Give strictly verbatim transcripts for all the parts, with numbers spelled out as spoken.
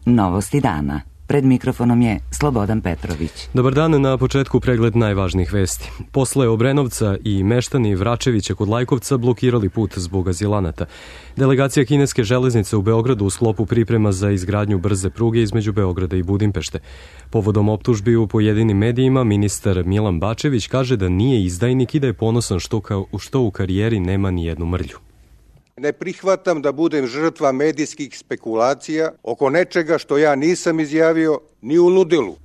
Novosti dana. Pred mikrofonom je Slobodan Petrović. Dobar dan, na početku pregled najvažnijih vesti. Posle Obrenovca i meštani Vračevića kod Lajkovca blokirali put zbog azilanata. Delegacija kineske železnice u Beogradu u sklopu priprema za izgradnju brze pruge između Beograda i Budimpešte. Povodom optužbi u pojedinim medijima, ministar Milan Bačević kaže da nije izdajnik i da je ponosan što, ka, što u karijeri nema ni jednu mrlju. Ne prihvatam da budem žrtva medijskih spekulacija oko nečega što ja nisam izjavio ni u ludilu.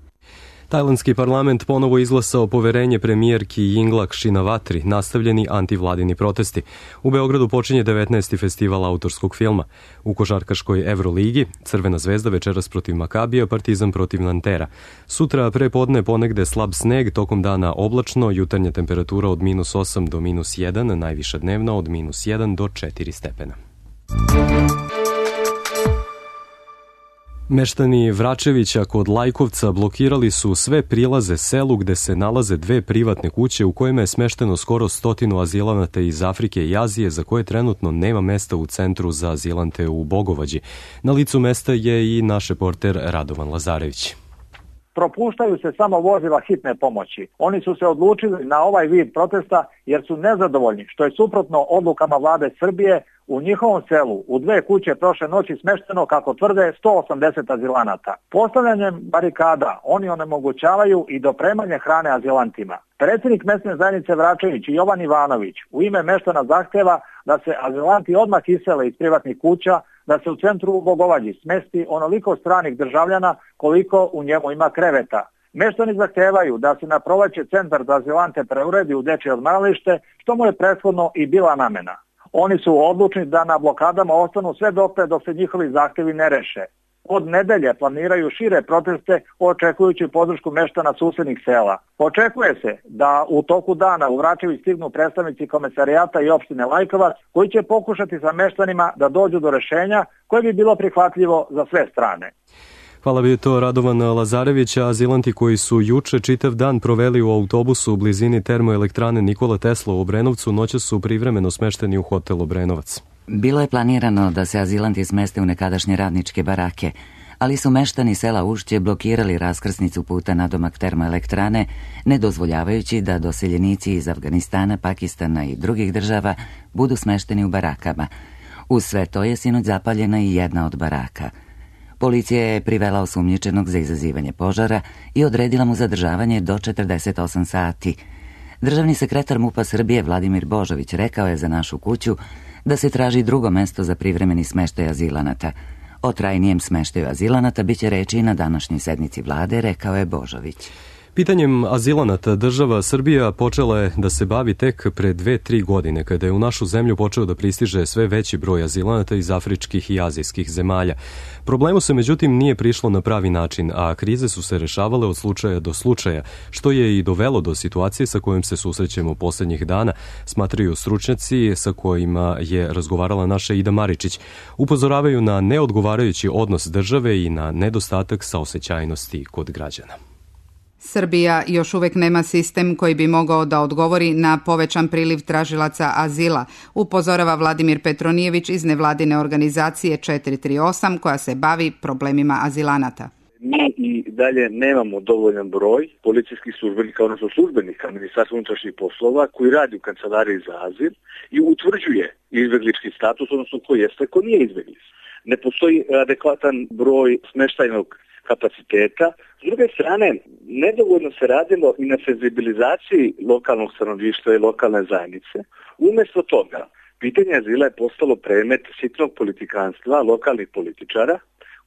Tajlandski parlament ponovo izglasao poverenje premijerki Yingluck Shinawatri, nastavljeni antivladini protesti. U Beogradu počinje devetnaesti festival autorskog filma. U košarkaškoj Evroligi Crvena zvezda večeras protiv Makabija, Partizan protiv Nantera. Sutra pre podne ponegde slab sneg, tokom dana oblačno, jutarnja temperatura od minus osam do minus jedan, najviša dnevna od minus jedan do četiri stepena. Meštani Vračevića kod Lajkovca blokirali su sve prilaze selu gde se nalaze dve privatne kuće u kojima je smešteno skoro stotinu azilanata iz Afrike i Azije za koje trenutno nema mesta u centru za azilante u Bogovađi. Na licu mesta je i naš reporter Radovan Lazarević. Propuštaju se samo vozila hitne pomoći. Oni su se odlučili na ovaj vid protesta jer su nezadovoljni, što je suprotno odlukama vlade Srbije. U njihovom selu u dve kuće prošle noći smešteno, kako tvrde, sto osamdeset azilanata. Postavljanjem barikada oni onemogućavaju i dopremanje hrane azilantima. Predsjednik mesne zajednice Vračević Jovan Ivanović u ime meštana zahteva da se azilanti odmah isele iz privatnih kuća, da se u centru u Bogovađi smesti onoliko stranih državljana koliko u njemu ima kreveta. Meštani zahtevaju da se na proleće centar za azilante preuredi u dečje odmaralište, što mu je prethodno i bila namena. Oni su odlučni da na blokadama ostanu sve dotle dok se njihovi zahtevi ne reše. Od nedelje planiraju šire proteste očekujući podršku meštana susednih sela. Očekuje se da u toku dana u Vračević stignu predstavnici komesarijata i opštine Lajkovac koji će pokušati sa meštanima da dođu do rešenja koje bi bilo prihvatljivo za sve strane. Hvala bi to Radovan Lazarević. Azilanti koji su juče čitav dan proveli u autobusu u blizini termoelektrane Nikola Tesla u Obrenovcu, noća su privremeno smešteni u hotel Obrenovac. Bilo je planirano da se azilanti smeste u nekadašnje radničke barake, ali su meštani sela Ušće blokirali raskrsnicu puta nadomak termoelektrane, ne dozvoljavajući da doseljenici iz Afganistana, Pakistana i drugih država budu smešteni u barakama. Uz sve to je sinoć zapaljena i jedna od baraka. Policija je privela osumnjičenog za izazivanje požara i odredila mu zadržavanje do četrdeset osam sati. Državni sekretar MUP-a Srbije Vladimir Božović rekao je za Našu kuću da se traži drugo mesto za privremeni smeštaj azilanata. O trajnijem smeštaju azilanata biće reči i na današnjoj sednici vlade, rekao je Božović. Pitanjem azilanata država Srbija počela je da se bavi tek pre dve, tri godine, kada je u našu zemlju počeo da pristiže sve veći broj azilanata iz afričkih i azijskih zemalja. Problemu se međutim nije prišlo na pravi način, a krize su se rešavale od slučaja do slučaja, što je i dovelo do situacije sa kojom se susrećemo poslednjih dana, smatraju stručnjaci sa kojima je razgovarala naša Ida Maričić. Upozoravaju na neodgovarajući odnos države i na nedostatak saosećajnosti kod građana. Srbija još uvek nema sistem koji bi mogao da odgovori na povećan priliv tražilaca azila, upozorava Vladimir Petronijević iz nevladine organizacije četiri tri osam koja se bavi problemima azilanata. Mi i dalje nemamo dovoljan broj policijskih službenika, odnosno službenika Ministarstva unutrašnjih poslova koji radi u kancelariji za azil i utvrđuje izbeglički status, odnosno ko jeste, ko nije izbeglic. Ne postoji adekvatan broj smeštajnog kapaciteta. S druge strane, nedovoljno se radilo i na senzibilizaciji lokalnog stanovništva i lokalne zajednice. Umjesto toga, pitanje azila je postalo predmet sitnog politikanstva lokalnih političara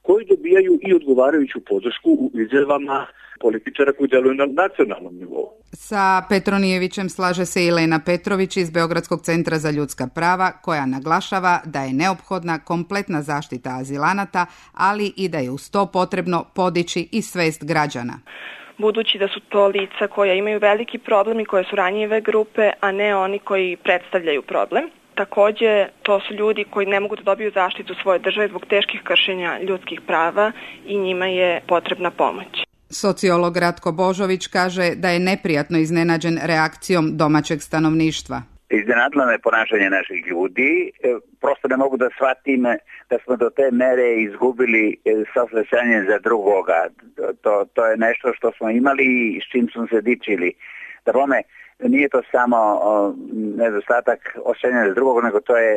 koji dobijaju i odgovarajuću podršku u izjavama političara koji deluju na nacionalnom nivou. Sa Petronijevićem slaže se i Lena Petrović iz Beogradskog centra za ljudska prava, koja naglašava da je neophodna kompletna zaštita azilanata, ali i da je uz to potrebno podići i svest građana. Budući da su to lica koja imaju veliki problem i koje su ranjive grupe, a ne oni koji predstavljaju problem. Takođe, to su ljudi koji ne mogu da dobiju zaštitu svoje države zbog teških kršenja ljudskih prava i njima je potrebna pomoć. Sociolog Ratko Božović kaže da je neprijatno iznenađen reakcijom domaćeg stanovništva. Iznenadilo me ponašanje naših ljudi. Prosto ne mogu da shvatim da smo do te mere izgubili saosećanje za drugoga. To, to je nešto što smo imali i s čim smo se dičili. Da bome, nije to samo nedostatak osjećanja za drugog, nego to je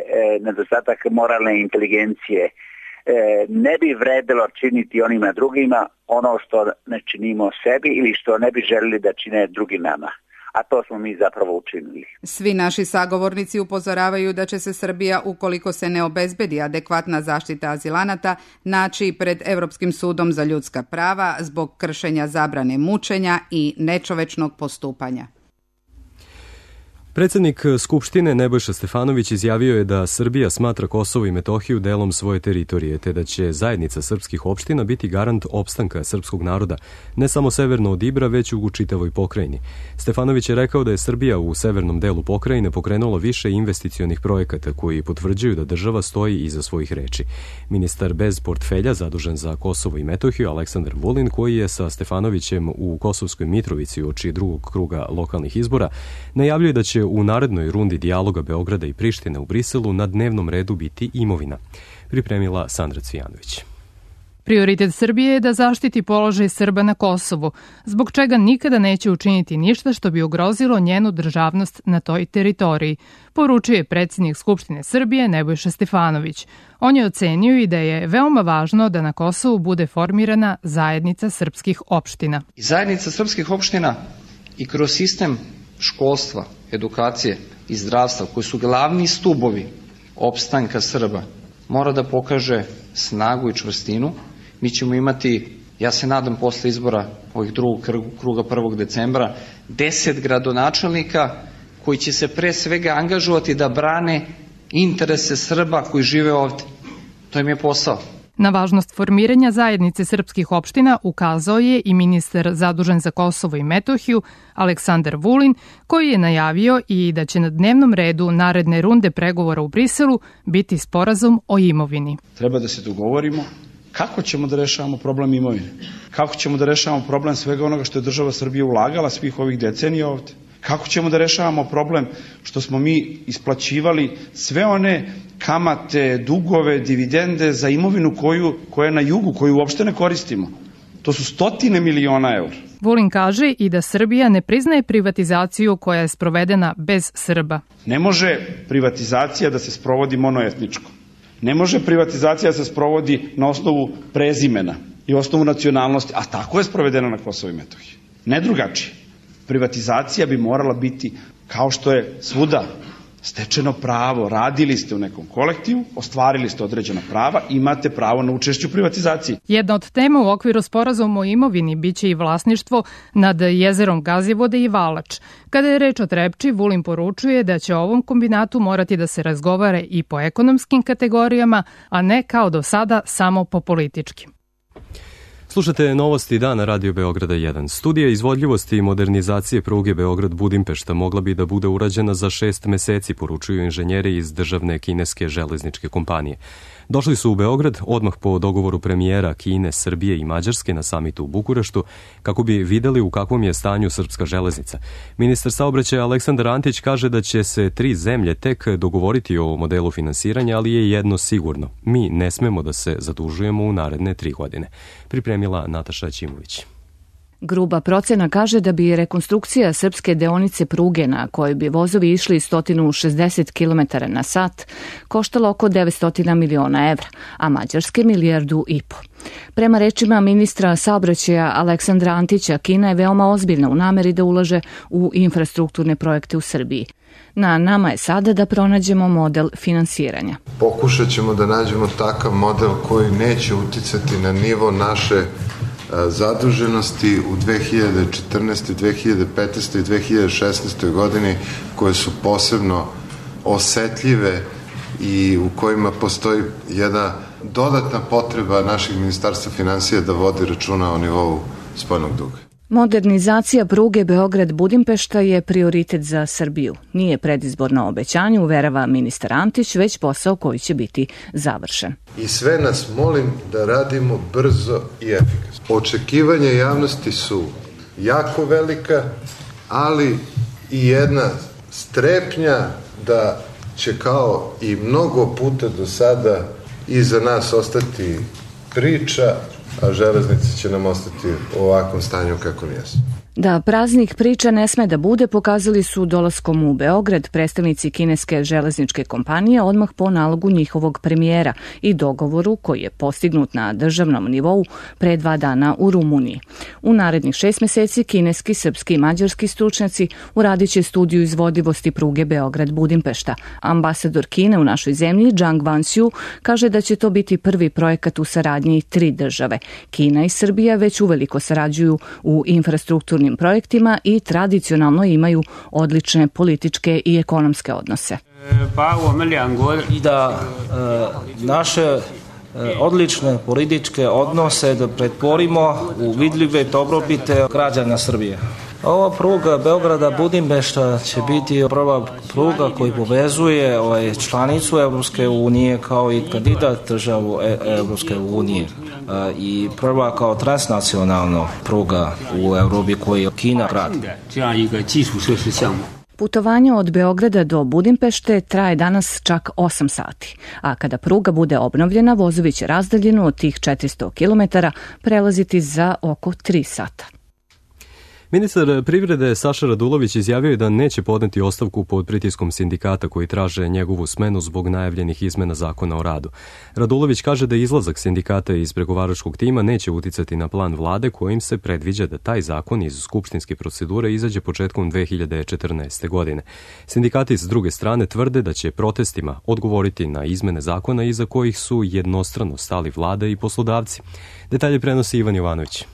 nedostatak moralne inteligencije. Ne bi vredilo činiti onima drugima ono što ne činimo sebi ili što ne bi želili da čine drugi nama. A to smo mi zapravo učinili. Svi naši sagovornici upozoravaju da će se Srbija, ukoliko se ne obezbedi adekvatna zaštita azilanata, naći pred Evropskim sudom za ljudska prava zbog kršenja zabrane mučenja i nečovečnog postupanja. Predsjednik Skupštine Nebojša Stefanović izjavio je da Srbija smatra Kosovo i Metohiju delom svoje teritorije, te da će zajednica srpskih opština biti garant opstanka srpskog naroda, ne samo severno od Ibra, već u čitavoj pokrajini. Stefanović je rekao da je Srbija u severnom delu pokrajine pokrenula više investicionih projekata koji potvrđuju da država stoji iza svojih reči. Ministar bez portfelja zadužen za Kosovo i Metohiju Aleksandar Vulin, koji je sa Stefanovićem u Kosovskoj Mitrovici uoči drugog kruga lokalnih izbora, najavljuje da će u narednoj rundi dijaloga Beograda i Prištine u Briselu na dnevnom redu biti imovina. Pripremila Sandra Cvijanović. Prioritet Srbije je da zaštiti položaj Srba na Kosovu, zbog čega nikada neće učiniti ništa što bi ugrozilo njenu državnost na toj teritoriji, poručuje predsjednik Skupštine Srbije Nebojša Stefanović. On je ocenio i da je veoma važno da na Kosovu bude formirana zajednica srpskih opština. Zajednica srpskih opština i kroz sistem školstva, edukacije i zdravstva, koji su glavni stubovi opstanka Srba, mora da pokaže snagu i čvrstinu. Mi ćemo imati, ja se nadam posle izbora ovih drugog kruga prvog decembra, deset gradonačelnika koji će se pre svega angažovati da brane interese Srba koji žive ovde. To im je posao. Na važnost formiranja zajednice srpskih opština ukazao je i ministar zadužen za Kosovo i Metohiju Aleksandar Vulin, koji je najavio i da će na dnevnom redu naredne runde pregovora u Briselu biti sporazum o imovini. Treba da se dogovorimo kako ćemo da rešavamo problem imovine, kako ćemo da rešavamo problem svega onoga što je država Srbija ulagala svih ovih decenija ovde. Kako ćemo da rešavamo problem što smo mi isplaćivali sve one kamate, dugove, dividende za imovinu koju, koja je na jugu, koju uopšte ne koristimo. To su stotine miliona eura. Vulin kaže i da Srbija ne priznaje privatizaciju koja je sprovedena bez Srba. Ne može privatizacija da se sprovodi monoetničko. Ne može privatizacija da se sprovodi na osnovu prezimena i osnovu nacionalnosti, a tako je sprovedena na Kosovo i Metohiji. Ne drugačije. Privatizacija bi morala biti, kao što je svuda, stečeno pravo. Radili ste u nekom kolektivu, ostvarili ste određena prava, imate pravo na učešće u privatizaciji. Jedna od tema u okviru sporazuma o imovini biće i vlasništvo nad jezerom Gazivode i Valač. Kada je reč o Trepči, Vulin poručuje da će o ovom kombinatu morati da se razgovara i po ekonomskim kategorijama, a ne kao do sada samo po političkim. Slušate novosti dana Radio Beograda jedan. Studija izvodljivosti i modernizacije pruge Beograd-Budimpešta mogla bi da bude urađena za šest meseci, poručuju inženjeri iz državne kineske železničke kompanije. Došli su u Beograd odmah po dogovoru premijera Kine, Srbije i Mađarske na samitu u Bukureštu kako bi videli u kakvom je stanju srpska železnica. Ministar saobraćaja Aleksandar Antić kaže da će se tri zemlje tek dogovoriti o modelu finansiranja, ali je jedno sigurno. Mi ne smemo da se zadužujemo u naredne tri godine. Pripremila Nataša Ćimović. Gruba procena kaže da bi rekonstrukcija srpske deonice pruge na kojoj bi vozovi išli sto šezdeset kilometara na sat koštala oko devetsto miliona evra, a mađarske milijardu i po. Prema rečima ministra saobraćaja Aleksandra Antića, Kina je veoma ozbiljna u nameri da ulaže u infrastrukturne projekte u Srbiji. Na nama je sada da pronađemo model finansiranja. Pokušat ćemo da nađemo takav model koji neće uticati na nivo naše zaduženosti u dve hiljade četrnaestoj, dve hiljade petnaestoj i dve hiljade šesnaestoj godini, koje su posebno osetljive i u kojima postoji jedna dodatna potreba našeg ministarstva finansija da vodi računa o nivou spoljnog duga. Modernizacija pruge Beograd-Budimpešta je prioritet za Srbiju. Nije predizborno obećanje, uverava ministar Antić, već posao koji će biti završen. I sve nas molim da radimo brzo i efikasno. Očekivanja javnosti su jako velika, ali i jedna strepnja da će kao i mnogo puta do sada iza nas ostati priča, a železnice će nam ostati u ovakvom stanju kako jesu. Da praznih priča ne sme da bude, pokazali su dolaskom u Beograd predstavnici kineske železničke kompanije odmah po nalogu njihovog premijera i dogovoru koji je postignut na državnom nivou pre dva dana u Rumuniji. U narednih šest meseci kineski, srpski i mađarski stručnjaci uradit će studiju izvodivosti pruge Beograd-Budimpešta. Ambasador Kine u našoj zemlji, Zhang Wanxiu, kaže da će to biti prvi projekat u saradnji tri države. Kina i Srbija već uveliko sarađuju u infrastrukturnim projektima i tradicionalno imaju odlične političke i ekonomske odnose. I da e, naše odlične političke odnose da pretvorimo u vidljive dobrobite građana Srbije. Ova pruga Beograda-Budimpešta će biti prva pruga koja povezuje ovaj, članicu Evropske unije kao i kandidat državu Evropske unije i prva kao transnacionalna pruga u Evropi koju Kina gradi. Putovanje od Beograda do Budimpešte traje danas čak osam sati, a kada pruga bude obnovljena, vozovi će razdaljinu od tih četiristo kilometara prelaziti za oko tri sata. Ministar privrede Saša Radulović izjavio je da neće podneti ostavku pod pritiskom sindikata koji traže njegovu smenu zbog najavljenih izmena zakona o radu. Radulović kaže da izlazak sindikata iz pregovaračkog tima neće uticati na plan vlade kojim se predviđa da taj zakon iz skupštinske procedure izađe početkom dve hiljade četrnaeste. godine. Sindikati s druge strane tvrde da će protestima odgovoriti na izmene zakona iza kojih su jednostrano stali vlada i poslodavci. Detalje prenosi Ivan Jovanović.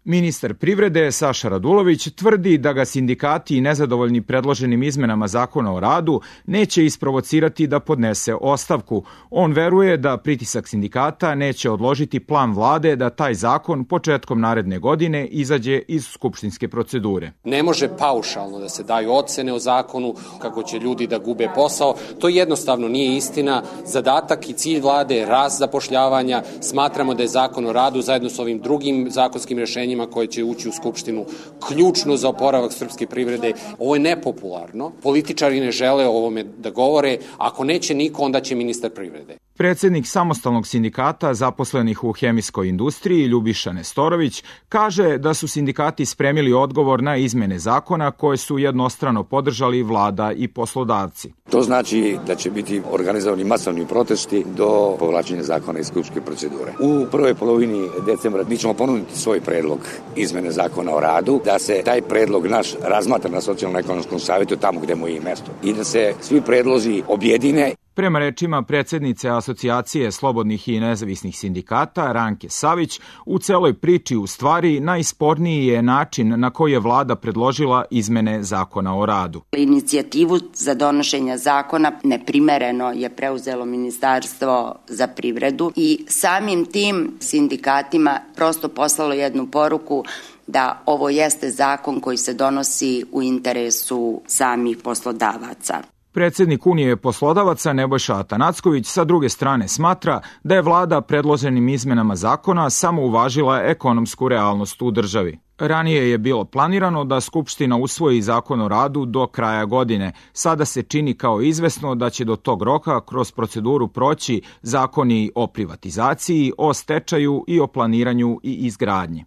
Ministar privrede Saša Radulović tvrdi da ga sindikati i nezadovoljni predloženim izmenama zakona o radu neće isprovocirati da podnese ostavku. On veruje da pritisak sindikata neće odložiti plan vlade da taj zakon početkom naredne godine izađe iz skupštinske procedure. Ne može paušalno da se daju ocene o zakonu kako će ljudi da gube posao. To jednostavno nije istina. Zadatak i cilj vlade je rast zapošljavanja. Smatramo da je zakon o radu zajedno s ovim drugim zakonskim rešenjima koje će ući u Skupštinu ključno za oporavak srpske privrede. Ovo je nepopularno. Političari ne žele o ovome da govore. Ako neće niko, onda će ministar privrede. Predsednik samostalnog sindikata zaposlenih u hemijskoj industriji Ljubiša Nestorović kaže da su sindikati spremili odgovor na izmene zakona koje su jednostrano podržali vlada i poslodavci. To znači da će biti organizovani masovni protesti do povlačenja zakona iz skupštinske procedure. U prvoj polovini decembra mi ćemo ponuditi svoj predlog izmene zakona o radu, da se taj predlog naš razmatra na socijalno-ekonomskom savjetu tamo gde mu je i mesto i da se svi predlozi objedine. Prema rečima predsednice Asocijacije slobodnih i nezavisnih sindikata Ranke Savić, u celoj priči u stvari najsporniji je način na koji je vlada predložila izmene zakona o radu. Inicijativu za donošenje zakona neprimereno je preuzelo Ministarstvo za privredu i samim tim sindikatima prosto poslalo jednu poruku da ovo jeste zakon koji se donosi u interesu samih poslodavaca. Predsednik Unije poslodavaca Nebojša Atanacković sa druge strane smatra da je vlada predloženim izmenama zakona samo uvažila ekonomsku realnost u državi. Ranije je bilo planirano da Skupština usvoji zakon o radu do kraja godine. Sada se čini kao izvesno da će do tog roka kroz proceduru proći zakoni o privatizaciji, o stečaju i o planiranju i izgradnji.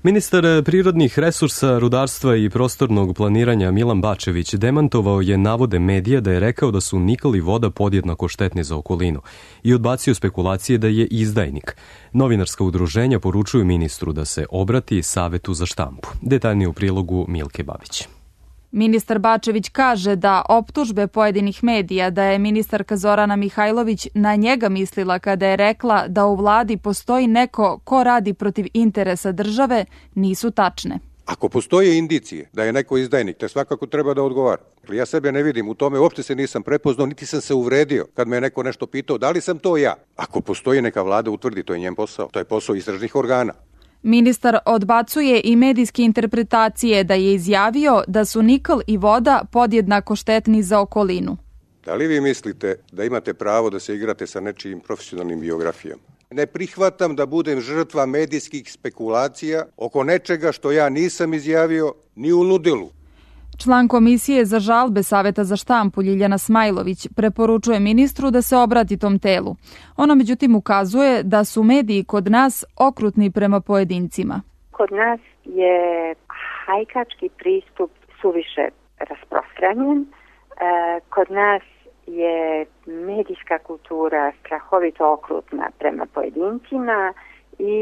Ministar prirodnih resursa, rudarstva i prostornog planiranja Milan Bačević demantovao je navode medija da je rekao da su nikl i voda podjednako štetni za okolinu i odbacio spekulacije da je izdajnik. Novinarska udruženja poručuju ministru da se obrati Savetu za štampu. Detaljnije u prilogu Milke Babić. Ministar Bačević kaže da optužbe pojedinih medija da je ministarka Zorana Mihajlović na njega mislila kada je rekla da u vladi postoji neko ko radi protiv interesa države nisu tačne. Ako postoje indicije da je neko izdajnik, te svakako treba da odgovara. Ja sebe ne vidim u tome, uopšte se nisam prepoznao, niti sam se uvredio kad me je neko nešto pitao, da li sam to ja. Ako postoji, neka vlada utvrdi, to je njen posao, to je posao istražnih organa. Ministar odbacuje i medijske interpretacije da je izjavio da su nikl i voda podjednako štetni za okolinu. Da li vi mislite da imate pravo da se igrate sa nečijim profesionalnim biografijama? Ne prihvatam da budem žrtva medijskih spekulacija oko nečega što ja nisam izjavio ni u ludilu. Član Komisije za žalbe Saveta za štampu Ljiljana Smajlović preporučuje ministru da se obrati tom telu. Ona međutim ukazuje da su mediji kod nas okrutni prema pojedincima. Kod nas je hajkački pristup suviše rasprostranjen. Kod nas je medijska kultura strahovito okrutna prema pojedincima i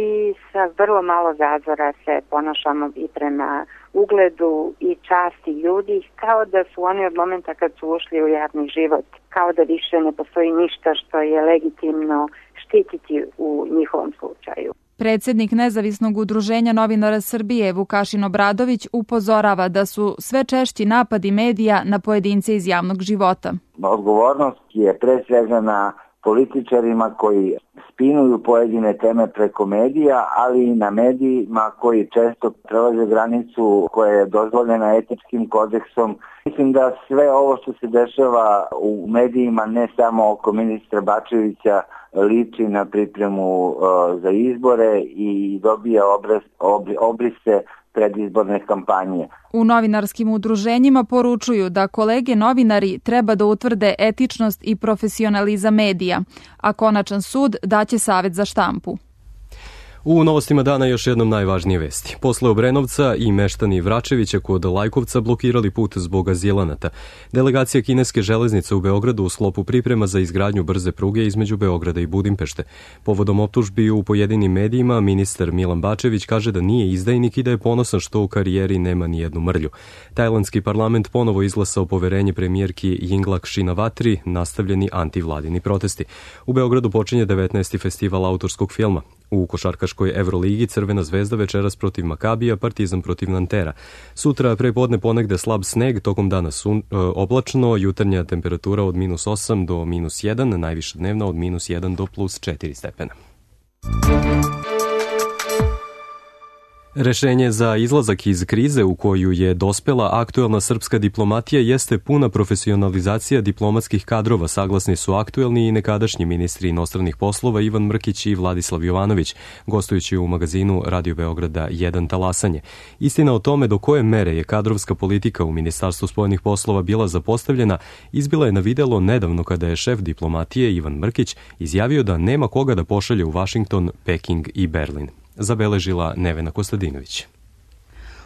sa vrlo malo zazora se ponašamo i prema ugledu i časti ljudi, kao da su oni od momenta kad su ušli u javni život, kao da više ne postoji ništa što je legitimno štititi u njihovom slučaju. Predsednik Nezavisnog udruženja novinara Srbije Vukašin Obradović upozorava da su sve češći napadi medija na pojedince iz javnog života. Odgovornost je pre svega na političarima koji spinuju pojedine teme preko medija, ali i na medijima koji često prelaze granicu koja je dozvoljena etičkim kodeksom. Mislim da sve ovo što se dešava u medijima, ne samo oko ministra Bačevića, liči na pripremu uh, za izbore i dobija obraz, obri, obrise predizborne kampanje. U novinarskim udruženjima poručuju da kolege novinari treba da utvrde etičnost i profesionalizam medija, a konačan sud daće Savet za štampu. U novostima dana još jednom najvažnije vesti. Posle Obrenovca i meštani Vračevića kod Lajkovca blokirali put zbog azilanata. Delegacija kineske železnice u Beogradu u sklopu priprema za izgradnju brze pruge između Beograda i Budimpešte. Povodom optužbi u pojedinim medijima, ministar Milan Bačević kaže da nije izdajnik i da je ponosan što u karijeri nema ni jednu mrlju. Tajlandski parlament ponovo izglasao poverenje premijerki Yingluck Shinawatri, nastavljeni antivladini protesti. U Beogradu počinje devetnaesti festival autorskog filma. U košarkaškoj Evroligi Crvena zvezda večeras protiv Makabija, Partizan protiv Nantera. Sutra prepodne ponegde slab sneg, tokom dana sun, e, oblačno, jutarnja temperatura od minus osam do minus jedan, najviša dnevna od minus jedan do plus četiri stepena. Rešenje za izlazak iz krize u koju je dospela aktuelna srpska diplomatija jeste puna profesionalizacija diplomatskih kadrova, saglasni su aktuelni i nekadašnji ministri inostranih poslova Ivan Mrkić i Vladislav Jovanović, gostujući u magazinu Radio Beograda jedan Talasanje. Istina o tome do koje mere je kadrovska politika u Ministarstvu spoljnih poslova bila zapostavljena, izbila je na videlo nedavno kada je šef diplomatije Ivan Mrkić izjavio da nema koga da pošalje u Vašington, Peking i Berlin. Zabeležila Nevena Kostadinović.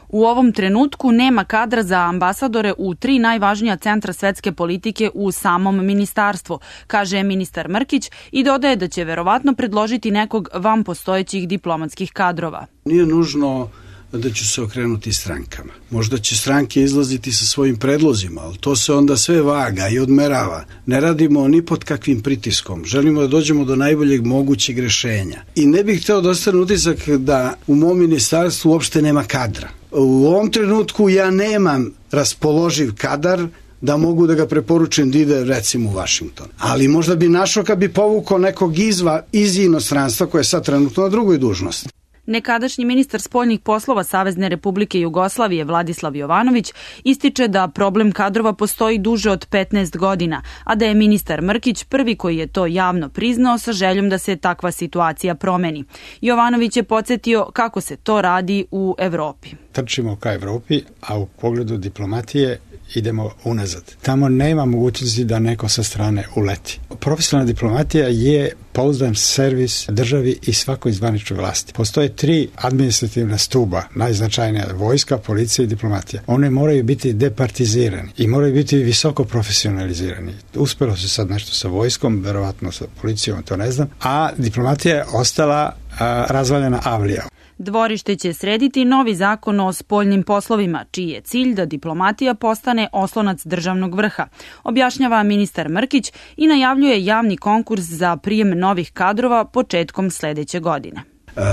U ovom trenutku nema kadra za ambasadore u tri najvažnija centra svetske politike u samom ministarstvu, kaže ministar Mrkić i dodaje da će verovatno predložiti nekog van postojećih diplomatskih kadrova. Nije nužno da ću se okrenuti strankama. Možda će stranke izlaziti sa svojim predlozima, ali to se onda sve vaga i odmerava. Ne radimo ni pod kakvim pritiskom. Želimo da dođemo do najboljeg mogućeg rešenja. I ne bih hteo da ostane utisak da u mom ministarstvu uopšte nema kadra. U ovom trenutku ja nemam raspoloživ kadar da mogu da ga preporučim da ide recimo u Vašington. Ali možda bi našao kad bi povukao nekog izva, iz inostranstva koje je sad trenutno na drugoj dužnosti. Nekadašnji ministar spoljnih poslova Savezne Republike Jugoslavije Vladislav Jovanović ističe da problem kadrova postoji duže od petnaest godina, a da je ministar Mrkić prvi koji je to javno priznao sa željom da se takva situacija promeni. Jovanović je podsjetio kako se to radi u Evropi. Trčimo ka Evropi, a u pogledu diplomatije idemo unazad. Tamo nema mogućnosti da neko sa strane uleti. Profesionalna diplomatija je pouzdan servis državi i svakoj zvaničnoj vlasti. Postoje tri administrativna stuba, najznačajnija vojska, policija i diplomatija. One moraju biti departizirani i moraju biti visoko profesionalizirani. Uspelo se sad nešto sa vojskom, verovatno sa policijom, to ne znam, a diplomatija je ostala a, razvaljena avlija. Dvorište će srediti novi zakon o spoljnim poslovima, čiji je cilj da diplomatija postane oslonac državnog vrha, objašnjava ministar Mrkić i najavljuje javni konkurs za prijem novih kadrova početkom sledeće godine.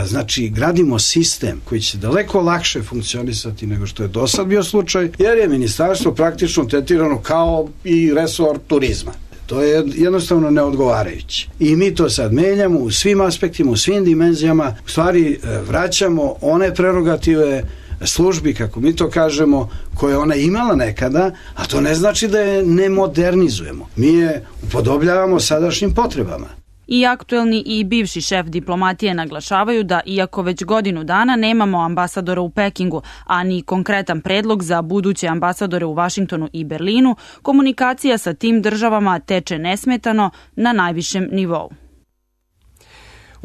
Znači, gradimo sistem koji će daleko lakše funkcionisati nego što je do sad bio slučaj, jer je ministarstvo praktično tretirano kao i resor turizma. To je jednostavno neodgovarajuće. I mi to sad menjamo u svim aspektima, u svim dimenzijama, u stvari vraćamo one prerogative službi, kako mi to kažemo, koje ona imala nekada, a to ne znači da je ne modernizujemo. Mi je upodobljavamo sadašnjim potrebama. I aktuelni i bivši šef diplomatije naglašavaju da iako već godinu dana nemamo ambasadora u Pekingu, a ni konkretan predlog za buduće ambasadore u Vašingtonu i Berlinu, komunikacija sa tim državama teče nesmetano na najvišem nivou.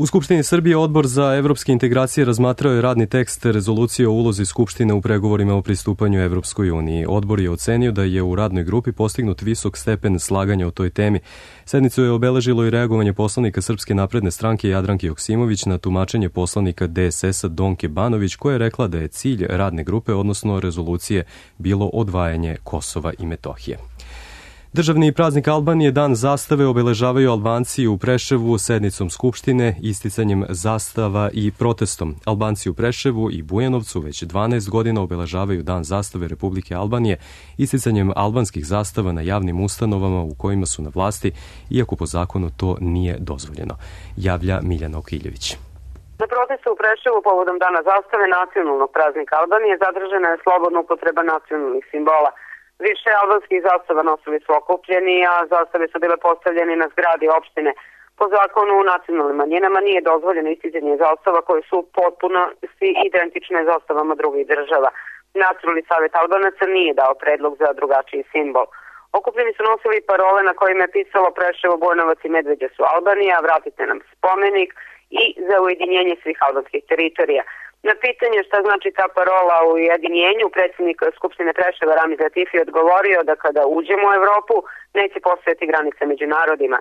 U Skupštini Srbije Odbor za evropske integracije razmatrao je radni tekst rezolucije o ulozi Skupštine u pregovorima o pristupanju Evropskoj uniji. Odbor je ocenio da je u radnoj grupi postignut visok stepen slaganja o toj temi. Sednicu je obeležilo i reagovanje poslanika Srpske napredne stranke Jadranke Joksimović na tumačenje poslanika D S S-a Donke Banović, koja je rekla da je cilj radne grupe, odnosno rezolucije, bilo odvajanje Kosova i Metohije. Državni praznik Albanije, Dan zastave, obeležavaju Albanci u Preševu sednicom Skupštine, isticanjem zastava i protestom. Albanci u Preševu i Bujanovcu već dvanaest godina obeležavaju Dan zastave Republike Albanije, isticanjem albanskih zastava na javnim ustanovama u kojima su na vlasti, iako po zakonu to nije dozvoljeno, javlja Miljana Okiljević. Na protestu u Preševu povodom Dana zastave nacionalnog praznika Albanije zadržana je slobodna upotreba nacionalnih simbola. Više albanskih zastava nosili su okupljeni, a zastave su bile postavljene na zgradi opštine. Po zakonu u nacionalnim manjinama nije dozvoljeno isticanje zastava koje su potpuno svi identične zastavama drugih država. Nacionalni savjet Albanaca nije dao predlog za drugačiji simbol. Okupljeni su nosili parole na kojima je pisalo Preševo, Bujanovac i Medveđa su Albanija, vratite nam spomenik i za ujedinjenje svih albanskih teritorija. Na pitanje šta znači ta parola u ujedinjenju, predsjednik Skupštine Preševa Ramiz Latifi odgovorio da kada uđemo u Evropu neće postojati granice među narodima.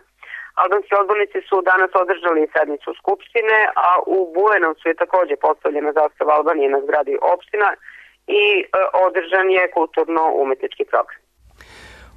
Albanski odbornici su danas održali sednicu Skupštine, a u Bujanovcu je također postavljena zastava Albanije na zgradi opština i e, održan je kulturno-umetnički program.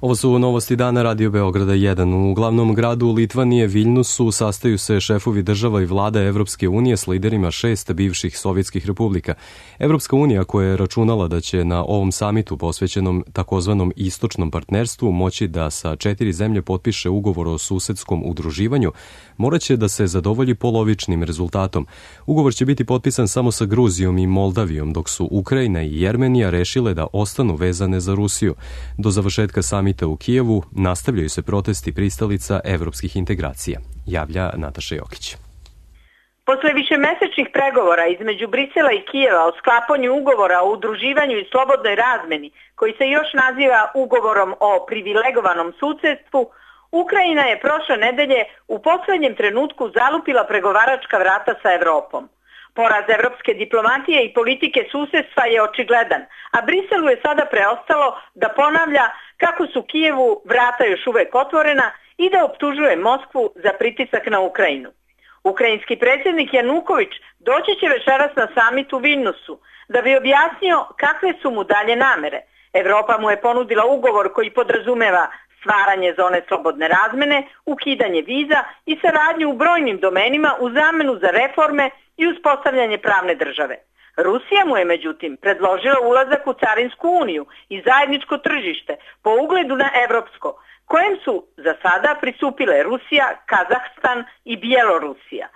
Ovo su novosti dana Radio Beograda jedan. U glavnom gradu Litvanije, Viljnusu, sastaju se šefovi država i vlada Evropske unije s liderima šest bivših sovjetskih republika. Evropska unija, koja je računala da će na ovom samitu posvećenom takozvanom istočnom partnerstvu moći da sa četiri zemlje potpiše ugovor o susedskom udruživanju, moraće da se zadovolji polovičnim rezultatom. Ugovor će biti potpisan samo sa Gruzijom i Moldavijom, dok su Ukrajina i Jermenija rešile da ostanu vezane za Rusiju. Do završetka samita u Kijevu nastavljaju se protesti pristalica evropskih integracija, javlja Nataša Jokić. Posle višemesečnih pregovora između Brisela i Kijeva o sklapanju ugovora o udruživanju i slobodnoj razmeni, koji se još naziva ugovorom o privilegovanom susedstvu, Ukrajina je prošle nedelje u poslednjem trenutku zalupila pregovaračka vrata sa Evropom. Poraz evropske diplomatije i politike susedstva je očigledan, a Briselu je sada preostalo da ponavlja kako su Kijevu vrata još uvek otvorena i da optužuje Moskvu za pritisak na Ukrajinu. Ukrajinski predsjednik Januković doći će večeras na samit u Viljnusu da bi objasnio kakve su mu dalje namere. Evropa mu je ponudila ugovor koji podrazumeva stvaranje zone slobodne razmene, ukidanje viza i saradnju u brojnim domenima u zamenu za reforme i uspostavljanje pravne države. Rusija mu je međutim predložila ulazak u Carinsku uniju i zajedničko tržište po ugledu na evropsko, kojem su za sada pristupile Rusija, Kazahstan i Bjelorusija.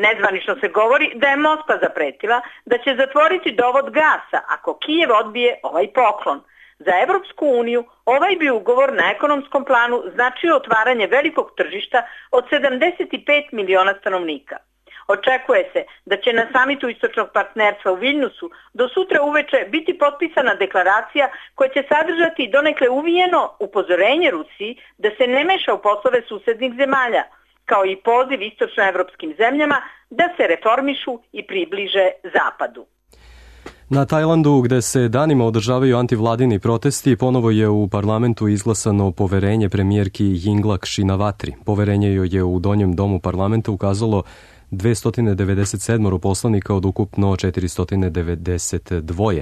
Nezvanično se govori da je Moskva zapretila da će zatvoriti dovod gasa ako Kijev odbije ovaj poklon. Za Evropsku uniju ovaj bi ugovor na ekonomskom planu značio otvaranje velikog tržišta od sedamdeset pet miliona stanovnika. Očekuje se da će na samitu istočnog partnerstva u Viljnusu do sutra uveče biti potpisana deklaracija koja će sadržati donekle uvijeno upozorenje Rusiji da se ne meša u poslove susednih zemalja, kao i poziv istočnoevropskim zemljama da se reformišu i približe Zapadu. Na Tajlandu, gde se danima održavaju antivladini protesti, ponovo je u parlamentu izglasano poverenje premijerki Yingluck Shinawatri. Poverenje joj je u donjem domu parlamenta ukazalo dvesta devedeset sedam poslanika od ukupno četiristo devedeset dva.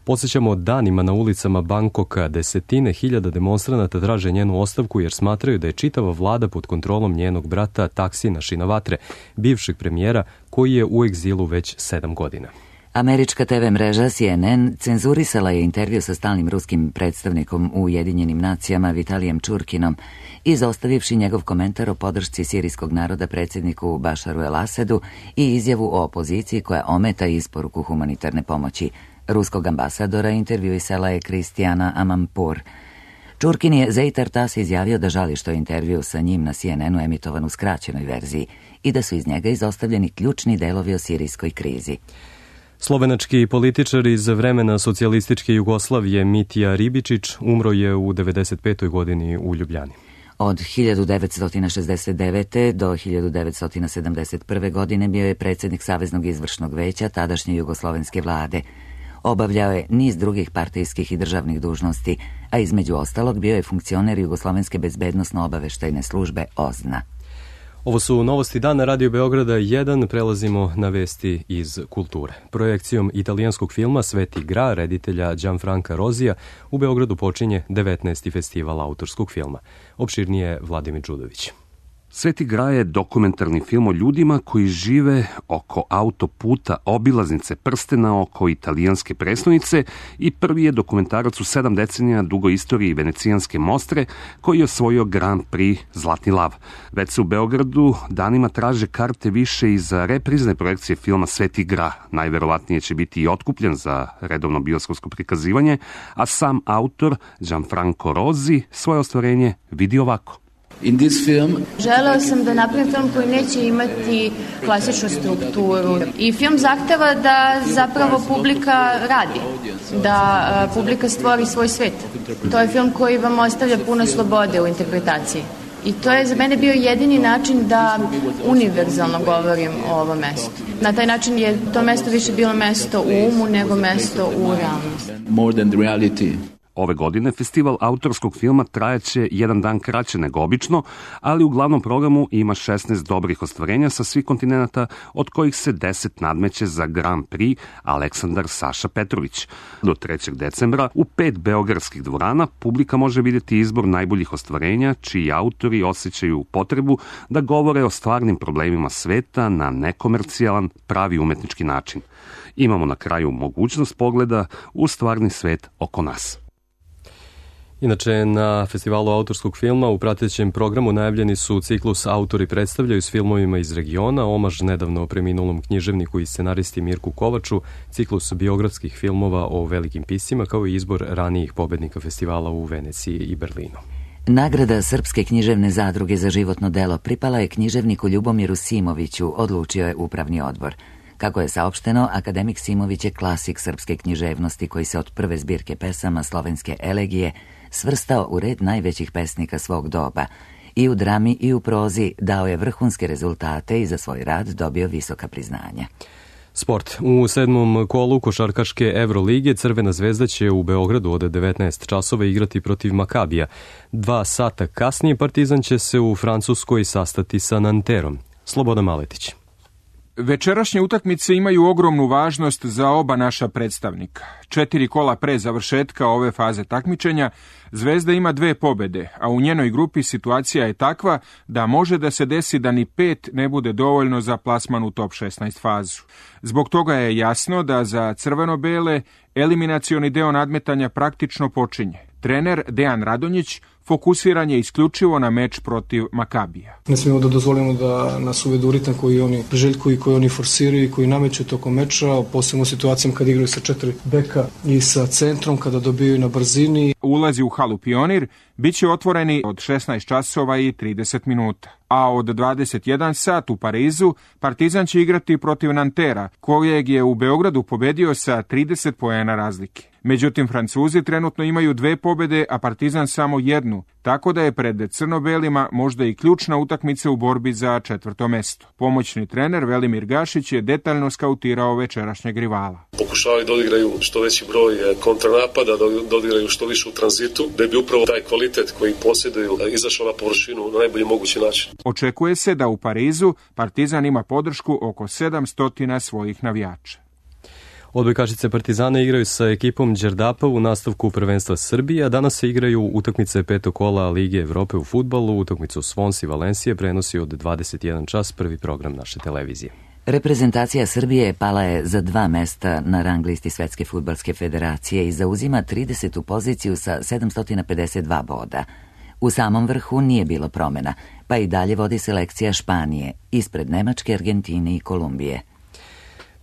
Podsjećamo, danima na ulicama Bangkoka desetine hiljada demonstranata traže njenu ostavku jer smatraju da je čitava vlada pod kontrolom njenog brata Taksina Shinawatre, bivšeg premijera koji je u egzilu već sedam godina. Američka te ve mreža C N N cenzurisala je intervju sa stalnim ruskim predstavnikom u Ujedinjenim nacijama Vitalijem Čurkinom, izostavivši njegov komentar o podršci sirijskog naroda predsjedniku Bašaru el-Asedu i izjavu o opoziciji koja ometa isporuku humanitarne pomoći. Ruskog ambasadora intervjuisala je Kristijana Amanpour. Čurkin je Zeitar Tas izjavio da žali što je intervju sa njim na C N N-u emitovan u skraćenoj verziji i da su iz njega izostavljeni ključni delovi o sirijskoj krizi. Slovenački političar iz vremena socijalističke Jugoslavije Mitja Ribičić umro je u devedeset petoj godini u Ljubljani. Od hiljadu devetsto šezdeset devete. do hiljadu devetsto sedamdeset prve. godine bio je predsjednik Saveznog izvršnog veća tadašnje jugoslovenske vlade. Obavljao je niz drugih partijskih i državnih dužnosti, a između ostalog bio je funkcioner Jugoslovenske bezbednosno-obaveštajne službe O Z N A. Ovo su novosti dana Radio Beograda jedan, prelazimo na vesti iz kulture. Projekcijom italijanskog filma Sveti Gra, reditelja Gianfranca Rozija, u Beogradu počinje devetnaesti festival autorskog filma. Opširnije Vladimir Đudović. Sveti Gra je dokumentarni film o ljudima koji žive oko autoputa obilaznice prstena oko italijanske prestonice i prvi je dokumentarac u sedam decenija dugoj istoriji venecijanske Mostre koji je osvojio Grand Prix Zlatni lav. Već se u Beogradu danima traže karte više i za reprizne projekcije filma Sveti Gra. Najverovatnije će biti i otkupljen za redovno bioskopsko prikazivanje, a sam autor Gianfranco Rosi svoje ostvarenje vidi ovako. In this film... Želeo sam da napravim film koji neće imati klasičnu strukturu i film zahteva da zapravo publika radi, da publika stvori svoj svet. To je film koji vam ostavlja puno slobode u interpretaciji. I to je za mene bio jedini način da univerzalno govorim o ovom mestu. Na taj način je to mesto više bilo mesto u umu nego mesto u realnosti. More than the reality. Ove godine festival autorskog filma trajaće jedan dan kraće nego obično, ali u glavnom programu ima šesnaest dobrih ostvarenja sa svih kontinenta, od kojih se deset nadmeće za Grand Prix Aleksandar Saša Petrović. Do trećeg decembra u pet beogradskih dvorana publika može vidjeti izbor najboljih ostvarenja, čiji autori osjećaju potrebu da govore o stvarnim problemima sveta na nekomercijalan, pravi umetnički način. Imamo na kraju mogućnost pogleda u stvarni svet oko nas. Inače, na festivalu autorskog filma u pratećem programu najavljeni su ciklus Autori predstavljaju s filmovima iz regiona, omaž nedavno preminulom književniku i scenaristi Mirku Kovaču, ciklus biografskih filmova o velikim piscima, kao i izbor ranijih pobednika festivala u Veneciji i Berlinu. Nagrada Srpske književne zadruge za životno delo pripala je književniku Ljubomiru Simoviću, odlučio je upravni odbor. Kako je saopšteno, akademik Simović je klasik srpske književnosti koji se od prve zbirke pesama Slovenske elegije svrstao u red najvećih pesnika svog doba. I u drami i u prozi dao je vrhunske rezultate i za svoj rad dobio visoka priznanja. Sport. U sedmom kolu košarkaške Evrolige Crvena zvezda će u Beogradu od devetnaest časova igrati protiv Makabija. Dva sata kasnije Partizan će se u Francuskoj sastati sa Nanterom. Slobodan Maletić. Večerašnje utakmice imaju ogromnu važnost za oba naša predstavnika. Četiri kola pre završetka ove faze takmičenja, Zvezda ima dve pobede, a u njenoj grupi situacija je takva da može da se desi da ni pet ne bude dovoljno za plasman u top šesnaest fazu. Zbog toga je jasno da za crveno-bele eliminacioni deo nadmetanja praktično počinje. Trener Dejan Radonjić fokusiran je isključivo na meč protiv Makabija. Ne smijemo da dozvolimo da nas uvedu u ritam koji oni priželjkuju i koji oni forsiraju i koji nameću tokom meča, posebno u situacijama kad igraju sa četiri beka i sa centrom, kada dobijaju na brzini. Ulazi u halu Pionir bit će otvoreni od šesnaest časova i trideset minuta. A od dvadeset jedan sat u Parizu Partizan će igrati protiv Nantera, kojeg je u Beogradu pobedio sa trideset poena razlike. Međutim, Francuzi trenutno imaju dve pobede, a Partizan samo jednu, tako da je pred crno-belima možda i ključna utakmica u borbi za četvrto mesto. Pomoćni trener Velimir Gašić je detaljno skautirao večerašnjeg rivala. Pokušavaju da odigraju što veći broj kontranapada, da odigraju što više u tranzitu, da bi upravo taj kvalitet koji posjeduju izašao na površinu na najbolji mogući način. Očekuje se da u Parizu Partizan ima podršku oko sedamsto svojih navijača. Odbojkašice Partizana igraju sa ekipom Đerdapa u nastavku prvenstva Srbije, a danas se igraju utakmice petog kola Lige Evrope u fudbalu. Utakmicu Svons i Valencije prenosi od dvadeset jedan čas prvi program naše televizije. Reprezentacija Srbije pala je za dva mesta na rang listi Svetske fudbalske federacije i zauzima tridesetu poziciju sa sedamsto pedeset dva boda. U samom vrhu nije bilo promjena, pa i dalje vodi selekcija Španije, ispred Nemačke, Argentine i Kolumbije.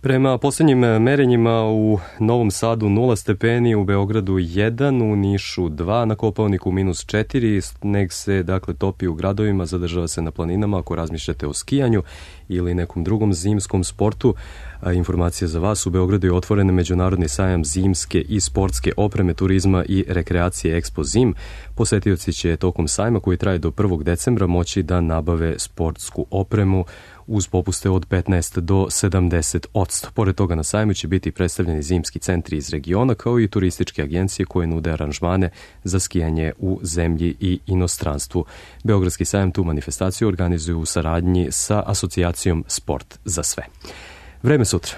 Prema posljednjim merenjima u Novom Sadu nula stepeni, u Beogradu jedan, u Nišu dva, na Kopaoniku minus četiri, sneg se dakle topi u gradovima, zadržava se na planinama ako razmišljate o skijanju ili nekom drugom zimskom sportu. A informacija za vas, u Beogradu je otvoren međunarodni sajam zimske i sportske opreme, turizma i rekreacije Expo Zim. Posetioci će tokom sajma koji traje do prvog decembra moći da nabave sportsku opremu uz popuste od petnaest do sedamdeset odsto. Pored toga na sajmu će biti predstavljeni zimski centri iz regiona kao i turističke agencije koje nude aranžmane za skijanje u zemlji i inostranstvu. Beogradski sajam tu manifestaciju organizuju u saradnji sa asocijacijom Sport za sve. Vreme sutra.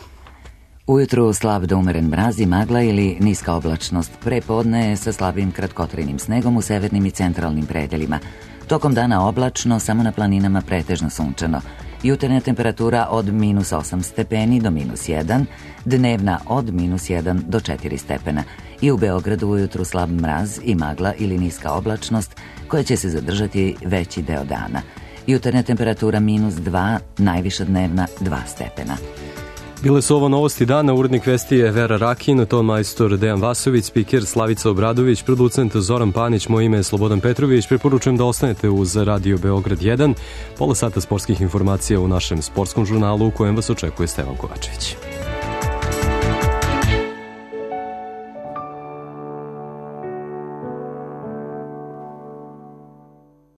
Ujutru slab do umeren mraz i magla ili niska oblačnost. Pre podne sa slabim kratkotrajnim snegom u severnim i centralnim predelima. Tokom dana oblačno, samo na planinama pretežno sunčano. Jutarnja temperatura od minus osam stepeni do minus jedan, dnevna od minus jedan do četiri stepena. I u Beogradu ujutru slab mraz i magla ili niska oblačnost koja će se zadržati veći deo dana. Jutarnja temperatura minus dva, najviša dnevna dva stepena. Bile su ovo novosti dana, urednik vesti je Vera Rakin, ton majstor Dejan Vasović, spiker Slavica Obradović, producent Zoran Panić, moje ime je Slobodan Petrović. Preporučujem da ostanete uz Radio Beograd jedan, pola sata sportskih informacija u našem sportskom žurnalu u kojem vas očekuje Stevan Kovačević.